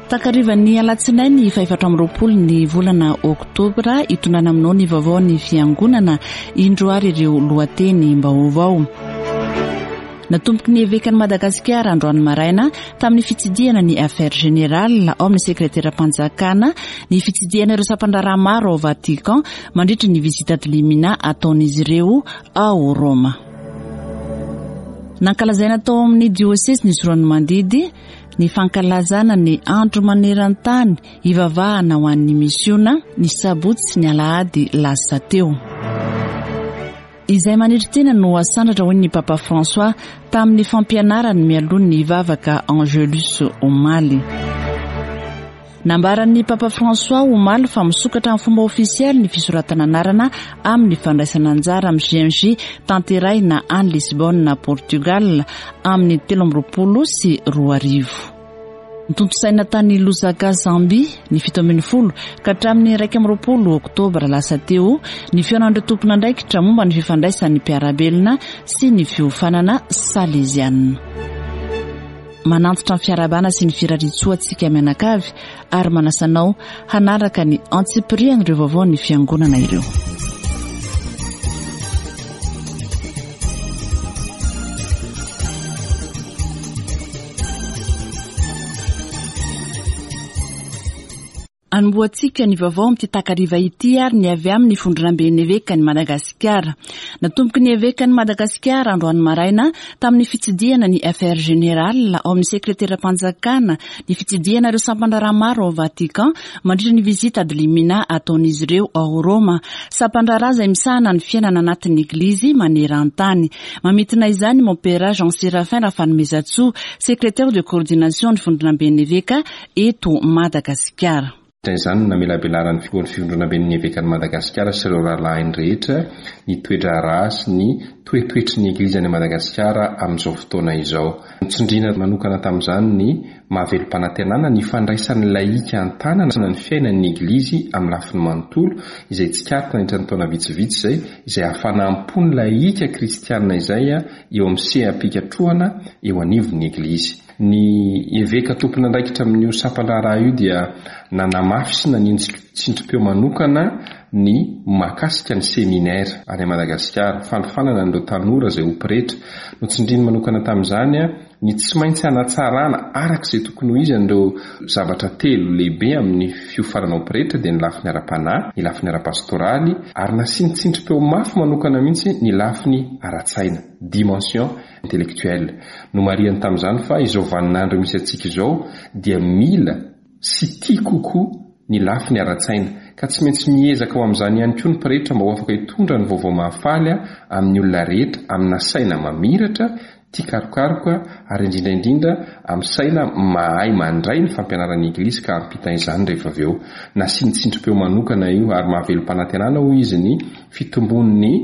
Takarivan'ny alatsinainy faha-24 ny volana oktobra hitondrana aminao ny vaovao ny fiangonana indro ary ireo lohateny-baovao. Natomboky ny evekan'i Madagasikara androany maraina tamin'ny fitsidihana ny Affaires Générales ao amin'ny sekreteram-panjakana ny fitsidihana ireo sampan-draharaha maro ao Vatican mandritra ny visite ad limina ataon'izy ireo ao Roma. Nankalazaina tao amin'ny diosezin'i Tsiroanomandidy ny fankalazana ny andro maneran-tany hivavahana ho an'ny misiona ny sabotsy sy ny alahady lasa teo. Izay manetry tena no asandratra hoy ny Papa François tamin'ny fampianarany mialoha ny vavaka Angelus omaly. Nambaran'ny Papa François omaly fa misokatra amin'ny fomba ofisialy ny fisoratana anarana amin'ny fandraisana anjara amin'ny JMJ tanterahina any Lisbonne, Portugal, amin'ny 2023. Notontosaina tany Lusaka, Zambie, ny 17 ka hatramin'ny 21 oktobra lasa teo ny fihaonan'ireo tompon'andraikitra momba ny fifandraisan'ny mpiara-belona sy ny fiofanana saleziana. Manantitra ny fiarahabana sy ny firariantsoa antsika mianakavy ary manasa anao hanaraka ny antsipirian'ireo vaovaon'ny Fiangonana ireo. Anombohantsika ny vaovao amin'ity takariva ity ary ny avy amin'ny Vondronamben'ny Evekan'i Madagasikara. Natomboky ny Evekan'i Madagasikara androany maraina tamin'ny fitsidihana ny FR Général ao amin'ny Sekreteram-panjakana ny fitsidihana ireo sampan-draharaha maro ao Vatican mandritra ny visite ad limina ataon'izy ireo ao Roma. Sampan-draharaha izay misahana ny fiainana anatin'ny Eglizy maneran-tany. Mamintina izany Mompera Jean Séraphin Rafanomezantsoa, Secrétaire de coordination ny Vondronamben'ny Eveka eto Madagasikara. Nandritra izany no namelabelaran'ny Filohan'ny Fivondronamben'ny Evekan'i Madagasikara sy ireo rahalahiny rehetra ny toe-draharaha sy ny toetoetry ny Eglizy any Madagasikara amin'izao fotoana izao. Notsindriana manokana tamin'izany ny maha velom-panantenana ny fandraisan'ny lahika an-tanana ny fiainan'ny Eglizy amin'ny lafiny manontolo, izay tsikaritra nandritra ny taona vitsivitsy izay, izay hafanam-pon'ny lahika kristiana izay eo amin'ny seha-pikatrohana eo anivon'ny Eglizy. Ny eveka tompon'andraikitra amin'io sampan-draharaha io dia nanamafy sy naninjika tsindrim-peo manokana ny mahakasika ny seminera any Madagasikara, fanofanana an'ireo tanora izay ho pretra. Notsindriany manokana tamin'izany ny tsy maintsy hanatsarana araka izay tokony ho izy an'ireo zavatra telo lehibe amin'ny fiofanana ho pretra dia ny lafiny ara-panahy, ny lafiny ara-pastoraly ary nasiany tsindrim-peo mafy manokana mihitsy ny lafiny ara-tsaina, dimension intellectuelle. Nomarihany tamin'izany fa izao vaninandro misy antsika izao dia mila sy tia kokoa ny lafiny ara-tsaina, ka tsy maintsy miezaka ho amin'izany ihany koa ny pretra mba ho afaka hitondra ny vaovao mahafaly amin'ny olona rehetra amina saina mamiratra, tia karokaroka ary indrindra indrindra amin'ny saina mahay mandray ny fampianaran'ny Eglizy ka hampita izany rehefa avy eo. Nasiany tsindrim-peo manokana io ary mahavelom-panantenana hoy izy ny fitombon'ny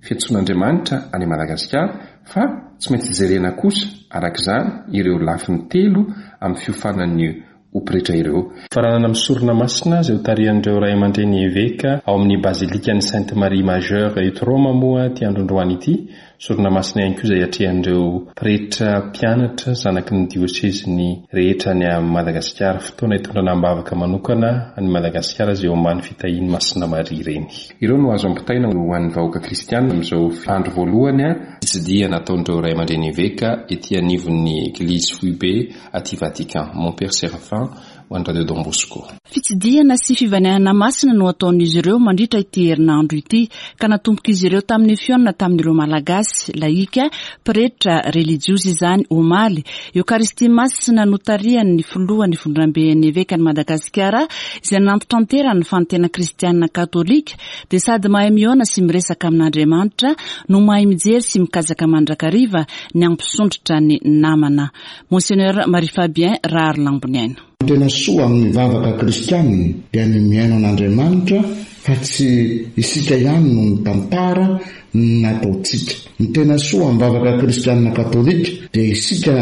fiantsoan'Andriamanitra any Madagasikara fa tsy maintsy jerena kosa araka izany ireo lafiny telo amin'ny fiofanan'ny ho pretra ireo. Faranana amin'ny sorona masina izay hotarihan'ireo ray aman-dreny eveka ao amin'ny Bazilikan'i Sainte Marie Majeure eto Roma moa ity andro androany ity. Sorona masina ihany koa izay atrehan'ireo pretra mpianatra zanaky ny diosezin'ny rehetra any Madagasikara. Fotoana hitondrana am-bavaka manokana an'i Madagasikara izay eo ambany fitahian'i Masina Maria Reny. Ireo no azo ampitaina ho an'ny vahoaka kristiana amin'izao andro voalohany fitsidihana ataon'ireo ray aman-dreny eveka ety anivon'ny Eglizy foibe aty Vatican. Mon Père Séraphin ho an'ny Radio Don Bosco. Fitsidihana sy fivanianana masina no ataon'izy ireo mandritra ity herinandro ity, ka natombok'izy ireo tamin'ny fihaonana tamin'ireo Malagasy, lahika, pretra, relijiozy izany omaly. Eokaristia Masina notarihan'ny filohan'ny Vondronamben'ny Evekan'i Madagasikara izay nantitranterany fa ny tena kristiana katolika dia sady mahay mihaona sy miresaka amin'Andriamanitra no mahay mijery sy mikatsaka mandrakariva ny hampisondrotra ny namana. Monseigneur Marie Fabien Raharilamboniaina. Ny tena soa amin'ny vavaka kristianina dia ny mihaino an'Andriamanitra fa tsy isika ihany no mitantara ny nataontsika. Ny tena soa amin'ny vavaka kristianina katolika dia isika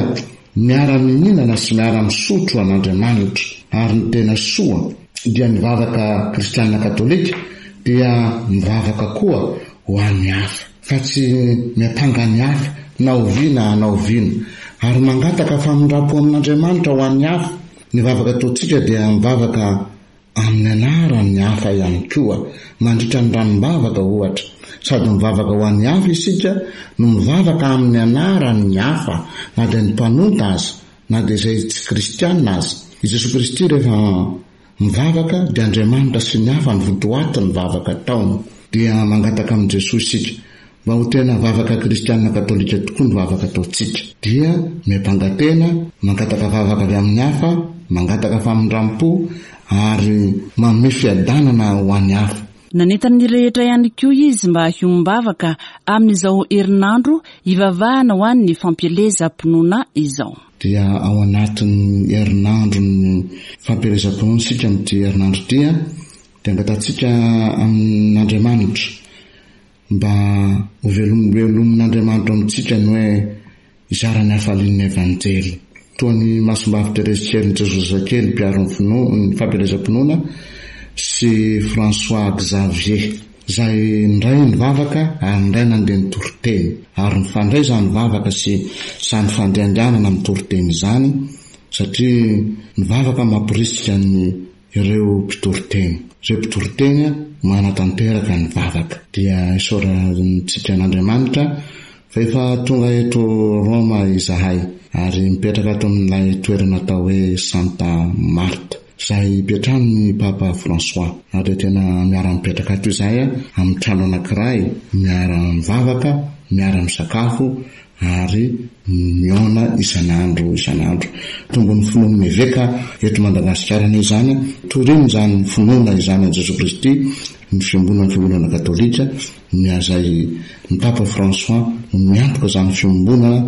miara-mihinana sy miara-misotro an'Andriamanitra. Ary ny tena soa dia ny vavaka kristianina katolika dia mivavaka koa ho an'ny hafa, fa tsy miampanga ny hafa na oviana na oviana. Ary mangataka famindram-po amin'Andriamanitra ho an'ny hafa. Ny vavaka ataontsika dia mivavaka amin'ny anaran'ny hafa ihany koa, mandritra ny ranombavaka ohatra. Sady mivavaka ho an'ny hafa isika no mivavaka amin'ny anaran'ny hafa, na dia ny mpanota aza, na dia izay tsy kristiana aza. I Jesoa Kristy rehefa mivavaka dia Andriamanitra sy ny hafa no votoatin'ny vavaka ataony. Dia mangataka amin'i Jesoa isika Mba ho tena vavaka kristiana katolika tokoa ny vavaka ataontsika, dia miampanga tena, mangataka vavaka avy amin'ny hafa, mangataka famindram-po, ary manome fiadanana ho an'ny hafa. Nanentana ny rehetra ihany koa izy mba hiombom-bavaka amin'izao herinandro hivavahana ho an'ny fampielezam-pinoana izao. Dia ao anatin'ny herinandron'ny fampielezam-pinoana isika amin'ity herinandro ity, dia angatahantsika amin'Andriamanitra Mba ho velomelomin'Andriamanitra amintsika ny hoe hizara ny hafalian'ny Evanjely. Toa an'i Masimbavy Terezy Kelin'i Jesoa Zazakely mpiaro ny finoana, ny fampielezam-pinoana sy François Xavier, izay indray nivavaka ary indray nandeha nitory teny. Ary nifandray izany vavaka sy izany fandehandehanana mitory teny izany satria ny vavaka mamporisika ny Ireo mpitory teny. Ireo mpitory teny manatanteraka ny vavaka. Dia isaorantsika an'Andriamanitra fa efa tonga eto Roma izahay ary mipetraka ato amin'ilay toerana atao hoe Santa Marta izay ipetrahan'ny Papa François. Ary dia tena miara-mipetraka ato izahay amin'ny trano anankiray, miara-mivavaka, miara-misakafo ary mihaona isan'andro isan'andro. Tombon'ny finoan'ny Eveka eto Madagasikara anie izany, torino izany finoana izany an'i Jesoa Kristy, ny fiombonan'ny Fiangonana Katolika, ny izay ny Papa François no miantoka izany fiombonana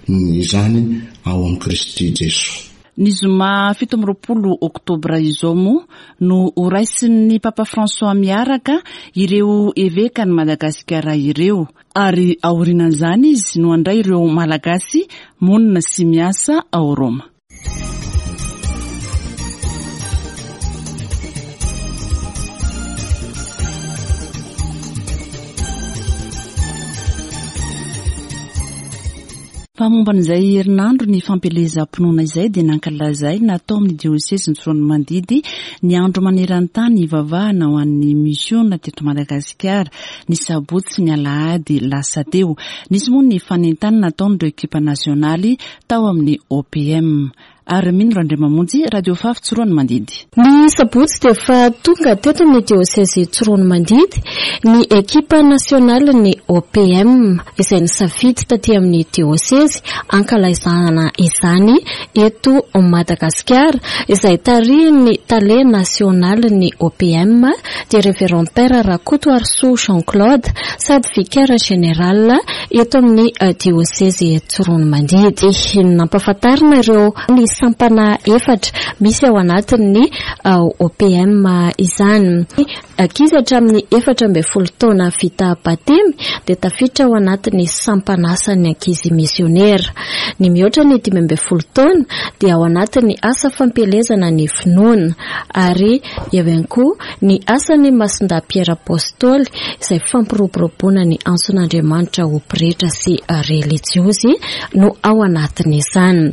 izany ao amin'i Kristy Jesoa. Ny zoma 27 oktobra izao moa no horaisin'ny Papa François miaraka ireo Evekan'i Madagasikara ireo. Ary aorianan'izany izy no handray ireo Malagasy monina sy miasa ao Roma. Fa momba an'izay herinandro ny fampielezam-pinoana izay dia nankalazaina tao amin'ny diosezin'i Tsiroanomandidy ny andro maneran-tany hivavahana ho an'ny misiona teto Madagasikara. ny sabotsy sy ny alahady lasa teo. Nisy moa ny fanentanana nataon'ireo ekipa nasionaly tao amin'ny OPM. Armine Randriamamonjy, Radio Fafy Tsiroanomandidy. Ny sabotsy dia efa tonga teto amin'ny diosezy Tsiroanomandidy ny ekipa nasionalin'ny OPM izay nisafidy taty amin'ny diosezy hankalaizana izany eto Madagasikara izay tarihin'ny tale nasionalin'ny OPM dia Révérend Père Rakotoarisoa Jean Claude sady Vicaire Général eto amin'ny Diosezy Tsiroanomandidy. Nampahafantarina ireo ny sampana efatra misy ao anatin'ny OPM izany. Ankizy hatramin'ny 14 taona vita batemy dia tafiditra ao anatin'ny sampan'asan'ny ankizy misionera. Ny mihoatra ny 15 taona dia ao anatin'ny asa fampielezana ny finoana ary Eo ihany koa ny asan'i Masindahy Piera Apostoly izay fampiroboroboana ny antson'Andriamanitra ho pretra sy relijiozy no ao anatin'izany.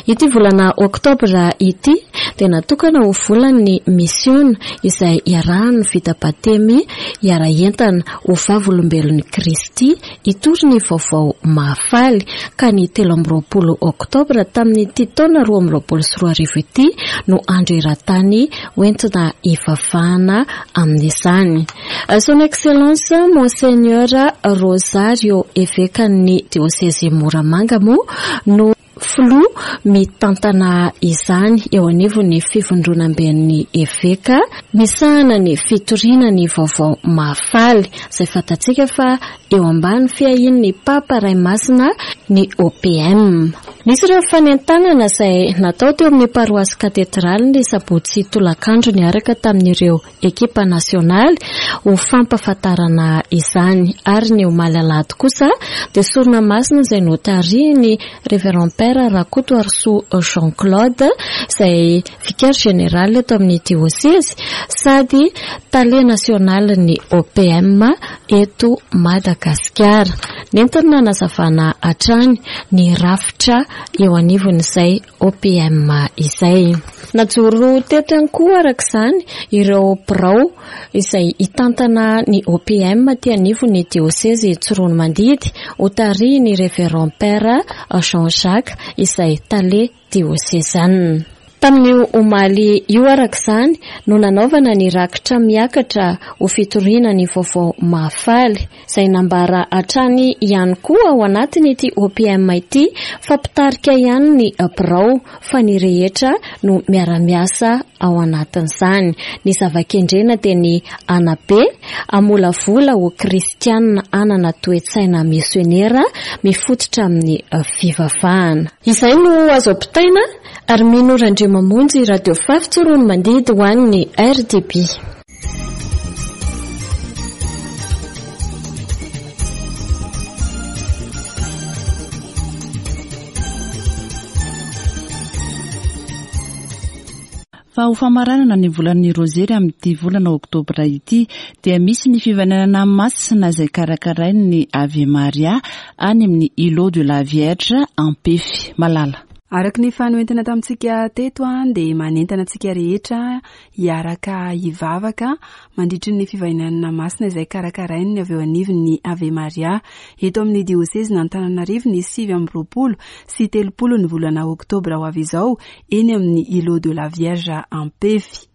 Ity volana oktobra ity dia natokana ho volan'ny misiona izay iarahan'ny vita batemy hiara-hientana ho vavolombelon'i Kristy hitory ny vaovao mahafaly ka ny 23 oktobra tamin'ity taona 2022 ity no andro eran-tany hoentina hivavahana amin'izany. Son Excellence Monseigneur Rosario Evekan'ny Diosezy Moramanga moa no Filoha mitantana izany eo anivon'ny Fivondronamben'ny Eveka misahana ny fitoriana ny vaovao mahafaly, izay fantatsika fa eo ambany fiahian'ny Papa Ray Masina ny OPM. Nisy ireo fanentanana izay natao teo amin'ny Paroasy Katedraly ny sabotsy tolakandro niaraka tamin'ireo ekipa nasionaly ho fampahafantarana izany ary ny omaly alahady kosa dia sorona masina izay notarihin'ny Révérend Père Rakotoarisoa Jean Claude izay Vicaire Général eto amin'ny diosezy sady Tale nasionalin'ny OPM eto Madagasikara. Nentiny nanazavana hatrany ny rafitra. eo anivon'izay OPM izay. Najoro teto ihany koa araka izany ireo birao izay hitantana ny OPM aty anivon'ny diosezy Tsiroanomandidy hotarihin'ny Révérend Père Jean Jacques izay tale diosezanina. Tamin'io omaly io araka izany no nanaovana ny rakitra miakatra ho fitoriana ny vaovao mahafaly, izay nambara hatrany ihany koa ao anatin'ity OPM ity fa mpitarika ihany ny birao fa ny rehetra no miara-miasa ao anatin'izany. Ny zava-kendrena dia ny hanabe, hamolavola ho kristiana hanana toe-tsaina misionera mifototra amin'ny fivavahana. Izay no azo ampitaina ary mino Randriamamonjy Radio Fafy Tsiroanomandidy ho an'ny RDB. Fa ho famaranana ny volan'ny Rozery amin'ity volana oktobra ity dia misy ny fivainanana masina izay karakarain'ny Ave Maria any amin'ny Îlot de la Vierge Ampefy. Malala. Araka ny efa noentina tamintsika teto dia manentana antsika rehetra hiaraka hivavaka mandritry ny fivainanana masina izay karakarain'ny avy eo anivon'ny Ave Maria eto amin'ny diosezin'Antananarivo ny 29 sy 30 ny volana oktobra ho avy izao eny amin'ny Îlot de la Vierge Ampefy.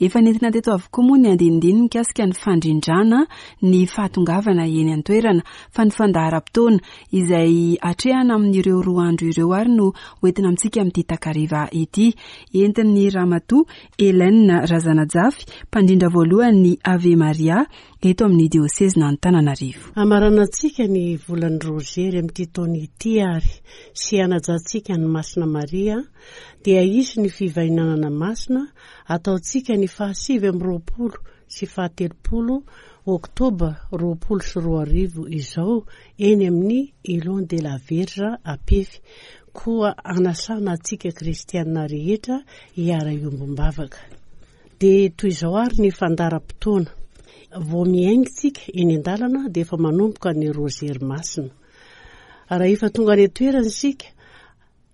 Efa nentina teto avokoa moa ny andinindininy mikasika ny fandrindrana ny fahatongavana eny an-toerana fa ny fandaharam-potoana izay atrehana amin'ireo 2 andro ireo ary no hoentina amintsika amin'ity takariva ity. Entin'ny Ramatoa Hélène Razanajafy, mpandrindra voalohany ny Ave Maria eto amin'ny diosezin'Antananarivo. Hamaranantsika ny volan'ny Rozery amin'ity taona ity ary sy hanajantsika an'i Masina Maria dia hisy ny fivainanana masina ataontsika ny faha-29 sy faha-30 Oktoba 2020 izao eny amin'ny Îlot de la Vierge Ampefy, koa anasana antsika kristiana rehetra hiara-hiombom-bavaka. Dia toy izao ary ny fandaharam-potoana. Vao miainga isika eny an-dalana dia efa manomboka ny Rozery Masina. Raha efa tonga any an-toerana isika,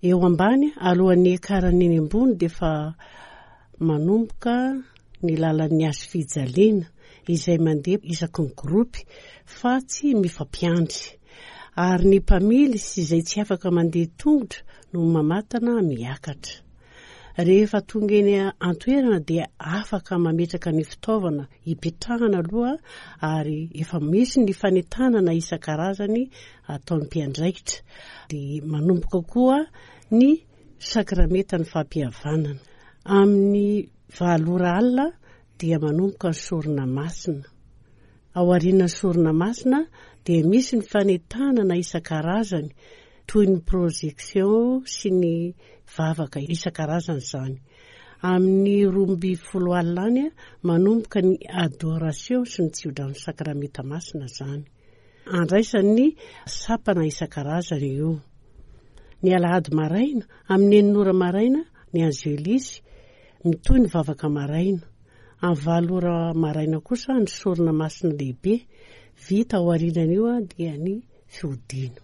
Eo ambany, alohan'ny hiakarany eny ambony dia efa manomboka ny lalan'ny hazo fijaliana izay mandeha isaky ny gropy fa tsy mifampiandry. Ary ny mpamily sy izay tsy afaka mandeha tongotra no mamatana miakatra. Rehefa tonga eny an-toerana dia afaka mametraka ny fitaovana hipetrahana aloha ary efa misy ny fanentanana isan-karazany ataon'ny mpiandraikitra. Dia manomboka koa ny sakramentan'ny fampihavanana. Amin'ny valo ora alina dia manomboka ny sorona masina. Ao aorian'ny sorona masina dia misy ny fanentanana isan-karazany toy ny projection sy ny vavaka isan-karazany izany. Amin'ny 12 alina any manomboka ny adoration sy ny tsiodrano sakramenta masina izany. Andraisan'ny sampana isan-karazany io. Ny alahady maraina, amin'ny enina ora maraina, ny Angelis, mitohy ny vavaka maraina. Amin'ny valo ora maraina kosa ny sorona masina lehibe, vita ao aorianan'io dia ny fiodiana.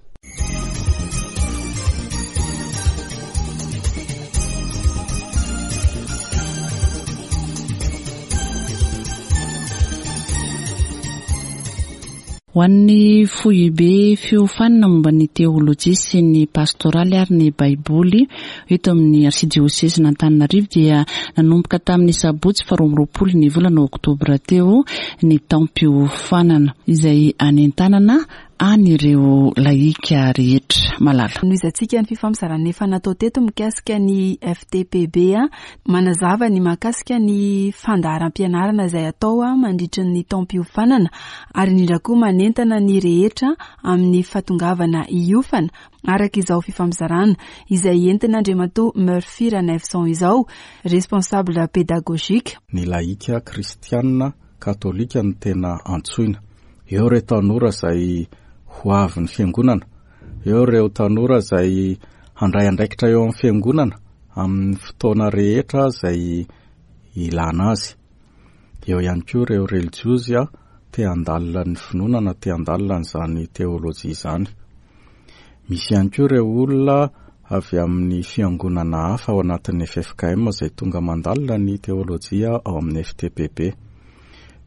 Ho an'ny foibe fiofanana momba ny teolojia sy ny pastoraly ary ny Baiboly eto amin'ny Arsidiosezin'Antananarivo dia nanomboka tamin'ny sabotsy faha 22 ny volana oktobra teo ny taom-piofanana izay anentanana an'ireo lahika rehetra. Malala. Nohizantsika ny fifampizarana efa natao teto mikasika ny FTPB, manazava ny mahakasika ny fandaharam-pianarana izay atao mandritry ny taom-piofanana ary indrindra koa manentana ny rehetra amin'ny fahatongavana hiofana araka izao fifampizarana izay entin'Andriamatoa Murphy Ranaivoson izao, responsable pédagogique. Ny lahika kristianina katolika no tena antsoina. Eo ireo tanora izay ho avin'ny fiangonana, eo ireo tanora izay handray andraikitra eo amin'ny fiangonana amin'ny fotoana rehetra izay ilana azy. Eo ihany koa ireo relijiozy te handalina ny finoana na te handalina an'izany teolojia izany. Misy ihany koa ireo olona avy amin'ny fiangonana hafa ao anatin'ny ffkm izay tonga mandalina ny teolojia ao amin'ny FTPB.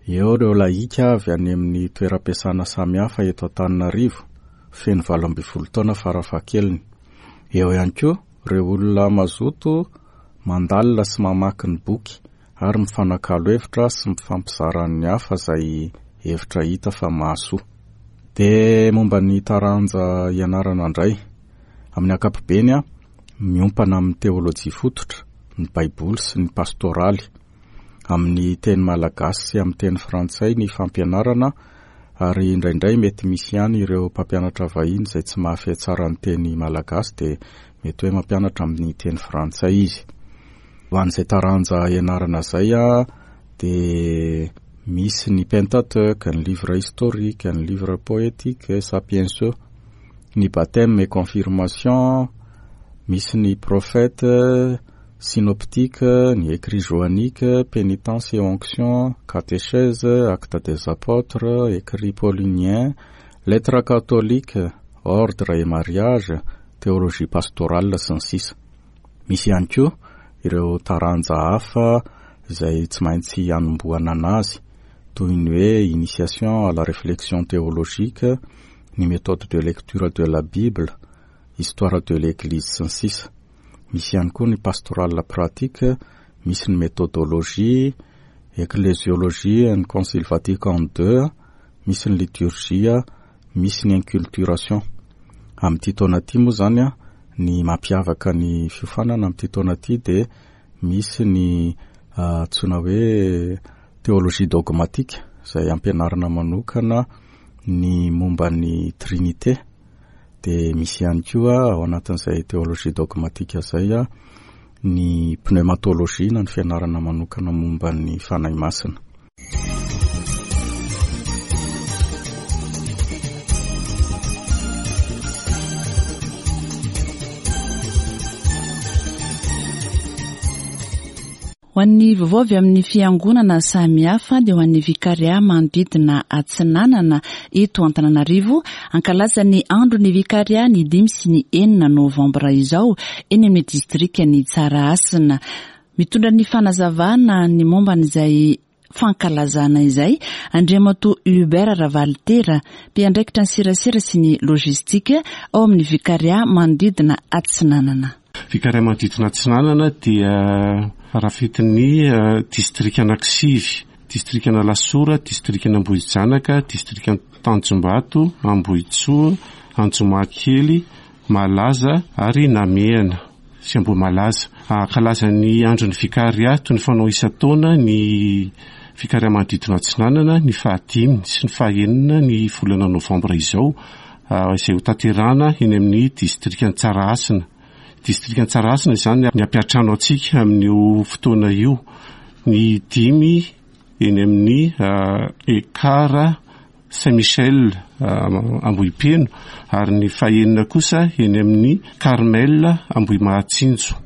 Eo ireo lahika avy any amin'ny toeram-piasana samihafa eto Antananarivo, feno 18 taona farafahakeliny. Eo ihany koa ireo olona mazoto mandalina sy mamaky ny boky ary mifanakalo hevitra sy mifampizara amin'ny hafa izay hevitra hita fa mahasoa. Dia momba ny taranja ianarana indray. Amin'ny ankapobeny, miompana amin'ny teolojia fototra, ny Baiboly sy ny pastoraly. Amin'ny teny malagasy sy amin'ny teny frantsay ny fampianarana ary indraindray mety misy ihany ireo mpampianatra vahiny izay tsy mahafehy tsara ny teny malagasy dia mety hoe mampianatra amin'ny teny frantsay izy. Ho an'izay taranja ianarana izay dia misy ny Pentateuque, ny livre historique, ny livre poétique, Sapienso, ny baptême et confirmation, misy ny prophète, synoptique, ny écrit johannique, pénitence et onction, catéchèse, acte des apôtres, écrit paulinien, lettre catholique, ordre et mariage, théologie pastorale sy ny sisa. Misy ihany koa ireo taranja hafa izay tsy maintsy hanombohana anazy toy ny hoe initiation à la réflexion théologique, ny méthode de lecture de la Bible, histoire de l'Eglise sy ny sisa. Misy ihany koa ny pastorale pratique, misy ny méthodologie, ecclésiologie ny Concile Vatican II, misy ny liturgie, misy ny inculturation. Amin'ity taona ity moa izany ny mampiavaka ny fiofanana amin'ity taona ity dia misy ny antsoina hoe théologie dogmatique izay ampianarina manokana ny momba ny Trinité. Dia misy ihany koa ao anatin'izay théologie dogmatique izay ny pneumatologie na ny fianarana manokana momba ny Fanahy Masina. Ho an'ny vaovao avy amin'ny fiangonana samihafa dia ho an'ny Vikaria manodidina Atsinanana eto Antananarivo, hankalaza ny andron'ny Vikaria ny dimy sy ny enina novambra izao eny amin'ny distrikan'i Tsarahasina. Mitondra ny fanazavana ny momba an'izay fankalazana izay Andriamatoa Hubert Ravalitera, mpiandraikitra ny serasera sy ny logistique ao amin'ny Vikaria manodidina Atsinanana. Vikaria manodidina Atsinanana dia rafetin'ny distrika anankisivy, distrikan'Alasora, distrikan'Ambohijanaka, distrikan'Tanjombato, Ambohitsoa, Anjomakely, Malaza ary Namehana sy Ambohimalaza. Hankalaza ny andron'ny Vikaria toy ny fanao isan-taona ny Vikaria manodidina Atsinanana ny fahadimy sy ny fahenina ny volana novambra izao izay hotanterahana eny amin'ny distrikan'i Tsarahasina. Distrikan'i Tsarahasina izany ny hampiantrano antsika amin'io fotoana io. Ny dimy eny amin'ny Ekar Saint Michel Ambohipeno ary ny fahenina kosa eny amin'ny Carmel Ambohimahatsinjo.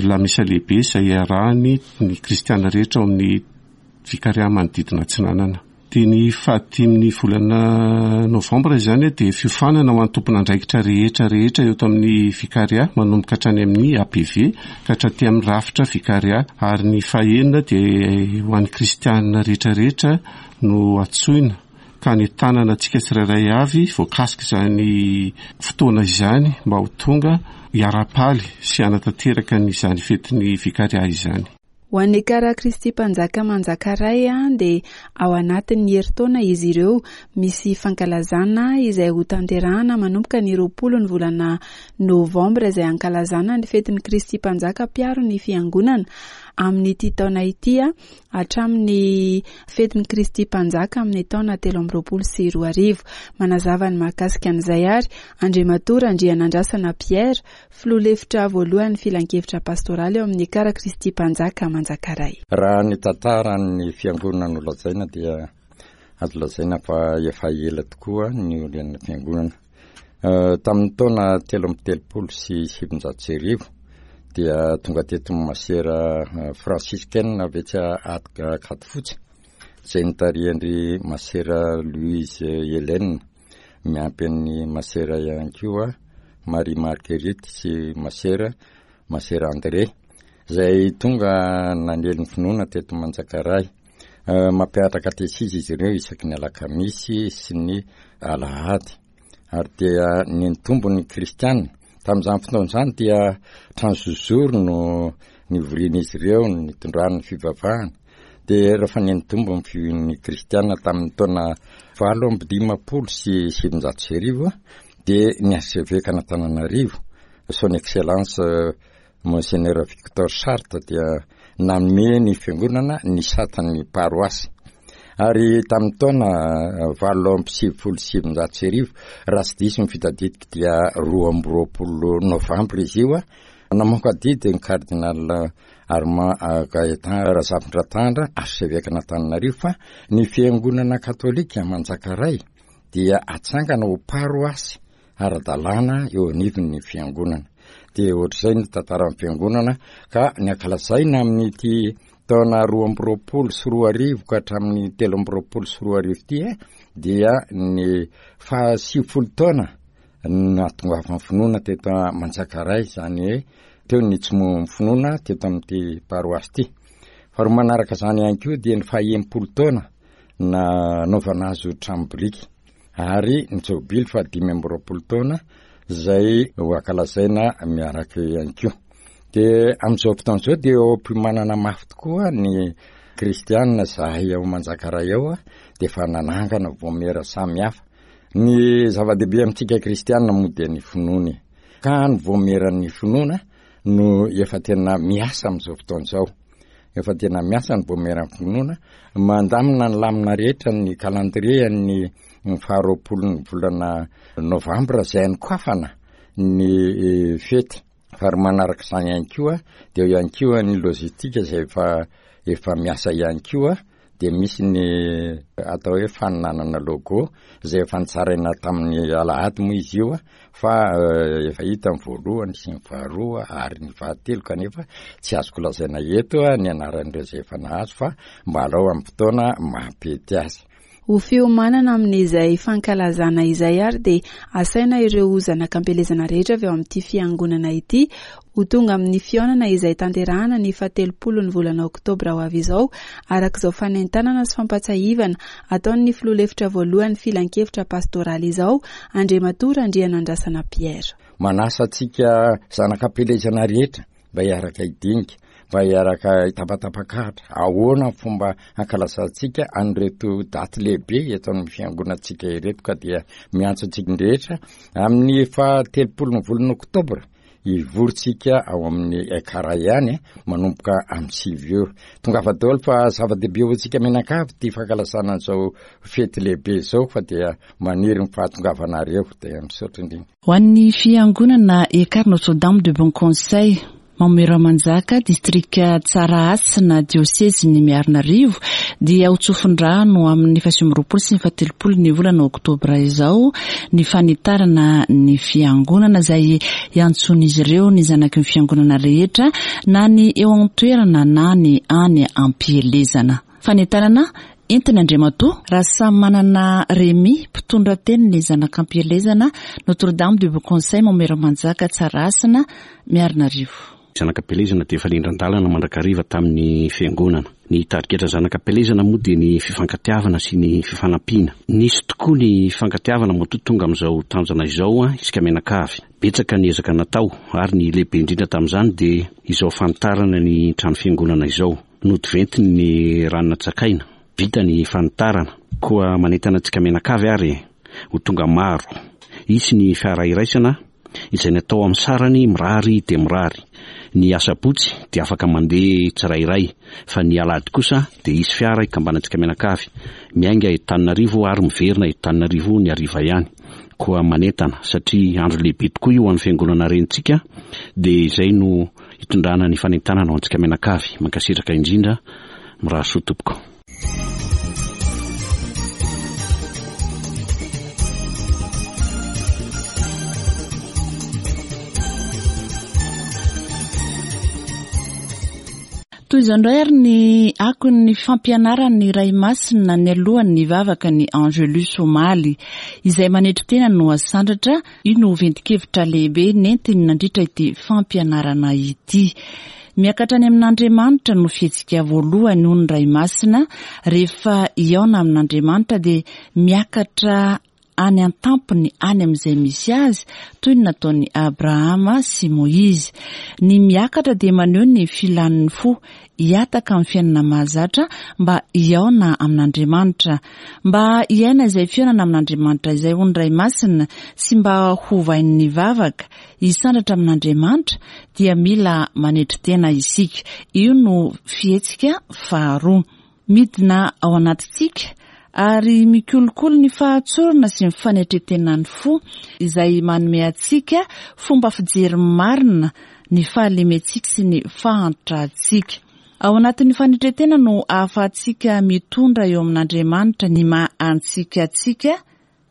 Lamesa lehibe izay iarahany ny kristiana rehetra ao amin'ny Vikaria manodidina atsinanana. Dia ny fahadimin'ny volana novambra izany dia fiofanana ho an'ny tompon'andraikitra rehetra rehetra eto amin'ny Vikaria manomboka hatrany amin'ny APV ka hatraty amin'ny rafitra Vikaria ary ny fahenina dia ho an'ny kristiana rehetra rehetra no antsoina ka hanentanana antsika tsirairay avy voakasik'izany fotoana izany mba ho tonga hiara-paly sy hanatanteraka an'izany fetin'ny Vikaria izany. Ho an'ny Ekara Kristy Mpanjaka Manjakaray dia ao anatin'ny herintaona izy ireo misy fankalazana izay hotanterahana manomboka ny 20 ny volana novambra izay hankalazana ny fetin'ny Kristy Mpanjaka mpiaro ny Fiangonana amin'ity taona ity hatramin'ny fetin'i Kristy Mpanjaka amin'ny taona 2023. Manazava ny mahakasika an'izay ary Andriamatoa Randrianandrasana Pierre, filoha lefitra voalohan'ny filankevitra pastoraly ao amin'ny Ekara Kristy Mpanjaka Manjakaray. Raha ny tantaran'ny fiangonana no lazaina dia azo lazaina fa efa ela tokoa ny niorenan'ny fiangonana. Tamin'ny taona 1933 dia tonga teto ny masera franciscaine avy etsy Ankadifotsy izay notarihan-dry masera Louise Hélène miampy an'ny masera ihany koa. Marie Marguerite sy Masera Masera André izay tonga nanely ny finoana teto Manjakaray. Mampianatra katesizy izy ireo isaky ny alakamisy sy ny alahady ary dia nitombo ny kristiana. Tamin'izany fotoana izany dia trano zozoro no nivorian'izy ireo nitondrany ny fivavahana. Dia rehefa nitombo ny finoan'ny kristiana tamin'ny taona 1958 dia ny arsevekan' Antananarivo, son excellence Monseigneur Victor Charte dia nanome ny fiangonana ny satan'ny paroasy. Ary tamin'ny taona 1998, raha tsy diso ny fitadidiko dia 22 novambra izy io, namoaka didy ny cardinal Armand Gaëtan Razafindratandra, arsevekan'Antananarivo fa ny fiangonana katolika Manjakaray dia atsangana ho paroasy ara-dalàna eo anivon'ny fiangonana. Dia ohatr'izay ny tantaran'ny fiangonana ka ny ankalazaina amin'ity taona 2022 ka hatramin'ny 2023 ity dia ny faha 90 taona nahatongavan'ny finoana teto Manjakaray, izany hoe teo ny nitsimohan'ny finoana teto amin'ity paroasy ity. Faharoa manaraka izany ihany koa dia ny faha 60 taona nanaovana azy ho trano biriky ary ny jobily faha 25 taona izay ho ankalazaina miaraka eo ihany koa. Dia amin'izao fotoana izao dia eo am-piomanana mafy tokoa ny kristianina izahay ao Manjakaray ao dia efa nanangana vaomiera samihafa. Ny zava-dehibe amintsika kristianina moa dia ny finoana e. Ka ny vaomieran'ny finoana no efa tena miasa amin'izao fotoana izao. Efa tena miasa ny vaomieran'ny finoana, mandamina ny lamina rehetra ny calendrier ny faharoapolon'ny volana novambra izay anokafana ny eh, fety. Ary manaraka izany ihany koa dia eo ihany koa ny logistique izay efa efa miasa ihany koa dia misy ny atao hoe faninanana logo izay efa nitsaraina tamin'ny alahady moa izy io fa eh, efa hita ny voalohany sy ny faharoa ary ny fahatelo kanefa tsy azoko lazaina eto ny anaran'ireo izay efa nahazo fa mba alao amin'ny fotoana mampety azy. Ho fiomanana amin'izay fankalazana izay ary dia asaina ireo zanak'ampielezana rehetra avy ao amin'ity fiangonana ity ho tonga amin'ny fihaonana izay tanterahana ny fahatelopolo ny volana oktobra ho avy izao araka izao fanentanana sy fampatsiahivana ataon'ny filoha lefitra voalohan'ny filankevitra pastoraly izao, Andriamatoa Randrianandrasana Pierre. Manasa antsika zanak'ampielezana rehetra mba hiaraka hidinika, mba hiaraka hitapatapakahatra, ahoana ny fomba hankalazantsika an'ireto daty lehibe eto amin'ny fiangonantsika ireto ka dia miantso antsika rehetra amin'ny faha telopolo ny volana oktobra hivorintsika ao amin'ny Ekara ihany manomboka amin'ny sivy ora. Tongava daholo fa zava-dehibe ho antsika mianakavy ity fankalazana an'izao fety lehibe izao fa dia maniry ny fahatongavanareo dia misaotra indrindra. Ho an'ny fiangonana Ekar Notre Dame de Bon Conseil, Mamoeramanjaka, distrika Tsarahasina, diosezin'i Miarinarivo, dia ho tsofin-drano amin'ny faha29 sy ny faha-30 ny volana oktobra izao ny fanitarana ny fiangonana izay hiantsoan'izy ireo ny zanaky ny fiangonana rehetra na ny eo an-toerana na ny any am-pielezana. Fanentanana entin' Andriamatoa Rasamimanana Rémi, mpitondra tenin'ny Zanak'Ampielezana, Notre Dame du Bon Conseil Maomeramanjaka Tsarahasina, Miarinarivo. Zanak'Ampielezana dia efa nindran-dalana mandrakariva tamin'ny Fiangonana. Ny tarigetra Zanak'Ampielezana moa dia ny fifankatiavana sy ny fifanampiana. Nisy tokoa ny fifankatiavana matoa tonga amin'izao tanjona izao isika mianakavy. Betsaka ny ezaka natao ary ny lehibe indrindra tamin'izany dia izao fanitarana ny trano fiangonana izao. Nodiventiny ny rano natsakaina. Vita ny fanitarana. Koa manentana antsika mianakavy ary e! Ho tonga maro. Hisy ny fiara iraisana izay natao amin'ny sarany mirary dia mirary. Ny asabotsy dia afaka mandeha tsirairay fa ny alahady kosa dia hisy fiara hikambanantsika mianakavy. Miainga eto Tananarivo ary miverina eto Tananarivo ny hariva ihany. Koa manentana satria andro lehibe tokoa io ho an'ny fiangonana renintsika dia izay no Hitondrana ny fanentanana ho antsika mianakavy. Mankasitraka indrindra. Mirary soa tompoko. Toy izao indray ary ny akon'ny fampianaran'ny Ray Masina nialohan'ny nivavaka ny Angelus omaly. Izay manetry tena no asandratra, io no ventin-kevitra lehibe nentiny nandritra ity fampianarana ity. Miakatra any amin'Andriamanitra no fihetsika voalohany hoy ny Ray Masina, rehefa hihaona amin'Andriamanitra dia miakatra any an-tampony any amin'izay misy azy, toy ny nataon'i Abrahama sy Moizy. Ny miakatra dia maneho ny filan'ny fo hihataka amin'ny fiainana mahazatra mba hihaona amin'Andriamanitra. Mba hiaina izay fihaonana amin'Andriamanitra izay hoy ny Ray Masina sy mba hovain'ny vavaka, hisandratra amin'Andriamanitra dia mila manetry tena isika. Io no fihetsika faharoa. Midina ao anatintsika ary mikolokolo ny fahatsorana sy ny fanetren-tenan'ny fo izay manome antsika fomba fijery marina ny fahalementsika sy ny fahantrantsika. Ao anatin'ny fanetren-tena no ahafahantsika mitondra eo amin'Andriamanitra ny maha antsika antsika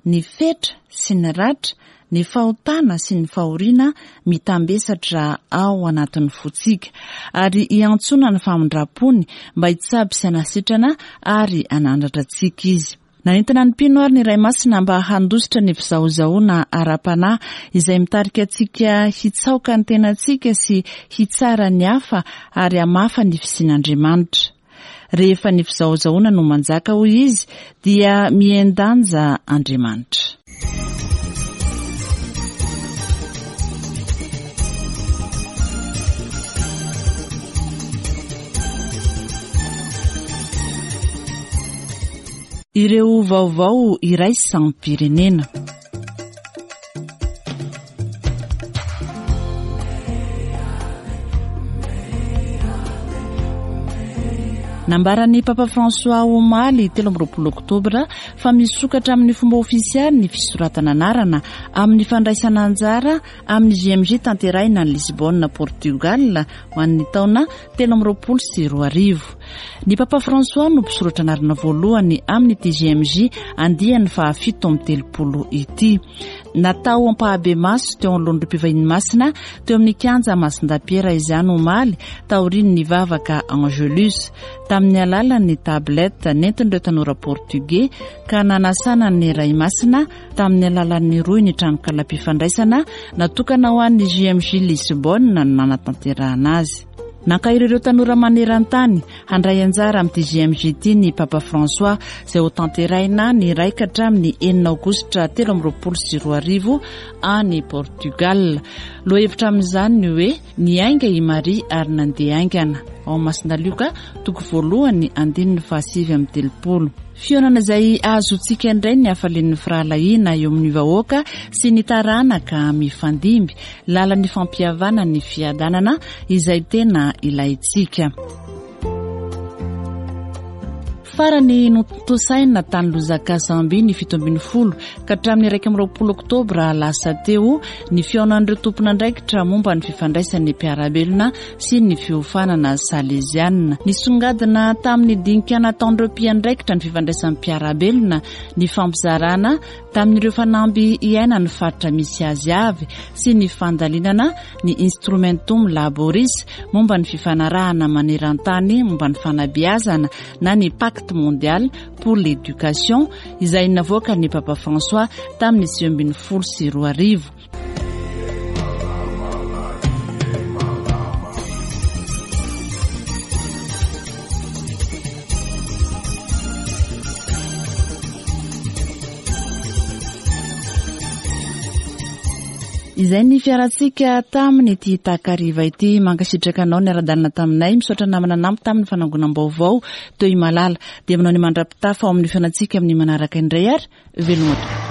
ny fetra sy ny ratra, ny fahotana sy ny fahoriana mitambesatra ao anatin'ny fontsika, ary hiantsoana ny famindram-pony mba hitsabo sy hanasitrana ary hanandratra antsika Izy. Nanentana ny mpino ary ny Ray Masina mba handositra ny fizahozahoana ara-panahy izay mitarika antsika hitsaoka ny tenantsika sy hitsara ny hafa ary hamafa ny fisian'Andriamanitra. Rehefa ny fizahozahoana no manjaka, hoy izy, dia mihen-danja Andriamanitra. Ireo vaovao iraisam-pirenena. Nambaran'ny Papa François omaly 23 oktobra fa misokatra amin'ny fomba ofisialy ny fisoratana anarana amin'ny fandraisana anjara amin'ny JMJ tanterahina any Lisbonne, Portugal ho an'ny taona 2023. Ny Papa François no mpisoratra anarana voalohany amin'ity JMJ andiany faha-37 ity. Natao ampahabemaso teo anoloan'ireo mpivahiny masina teo amin'ny kianja Masindahy izany omaly taorian'ny vavaka Angelus tamin'ny alalan'ny tablette nentin'ireo tanora portugais ka nanasana ny Ray Masina tamin'ny alalan'ny rohy ny tranokalam-pifandraisana natokana ho an'ny JMJ Lisbonne no nanatanterahana azy. Nankahery ireo tanora maneran-tany handray anjara amin'ity JMJ ity ny Papa François izay hotanterahina ny iray ka hatramin'ny enina aogositra 2023 any Portugal. Lohahevitra amin'izany ny hoe Niainga i Maria ary nandeha haingana. Ao amin'ny Masina Lioka, toko voalohany, andininy faha-39. Fihaonana izay ahazoantsika indray ny hafalian'ny firahalahiana eo amin'ny vahoaka sy ny taranaka mifandimby, lalan'ny fampihavanana ny fiadanana izay tena ilaintsika. Farany notontosaina tany Lusaka, Zambie ny 17 ka hatramin'ny 21 oktobra lasa teo ny fihaonan'ireo tompon'andraikitra momba ny fifandraisan'ny mpiara-belona sy ny fiofanana saleziana. Nisongadina tamin'ny dinika nataon'ireo mpiandraikitra ny fifandraisan'ny mpiara-belona ny fampizarana tamin'ireo fanamby iainan'ny faritra misy azy avy sy ny fandalinana ny Instrumentum Laboris momba ny fifanarahana maneran-tany momba ny fanabeazana na ny Pacte mondial pour l'éducation izay navoakan'ny Papa François tamin'ny 2019. Izay ny fiarantsika tamin'ity takariva ity. Mankasitraka anao niara-dalana taminay. Misaotra namana nampy tamin'ny fanangonam-baovao teo Imalala. Dia manao ny mandra-pitafa ao amin'ny fihaonantsika amin'ny manaraka indray ary veloma tompoko.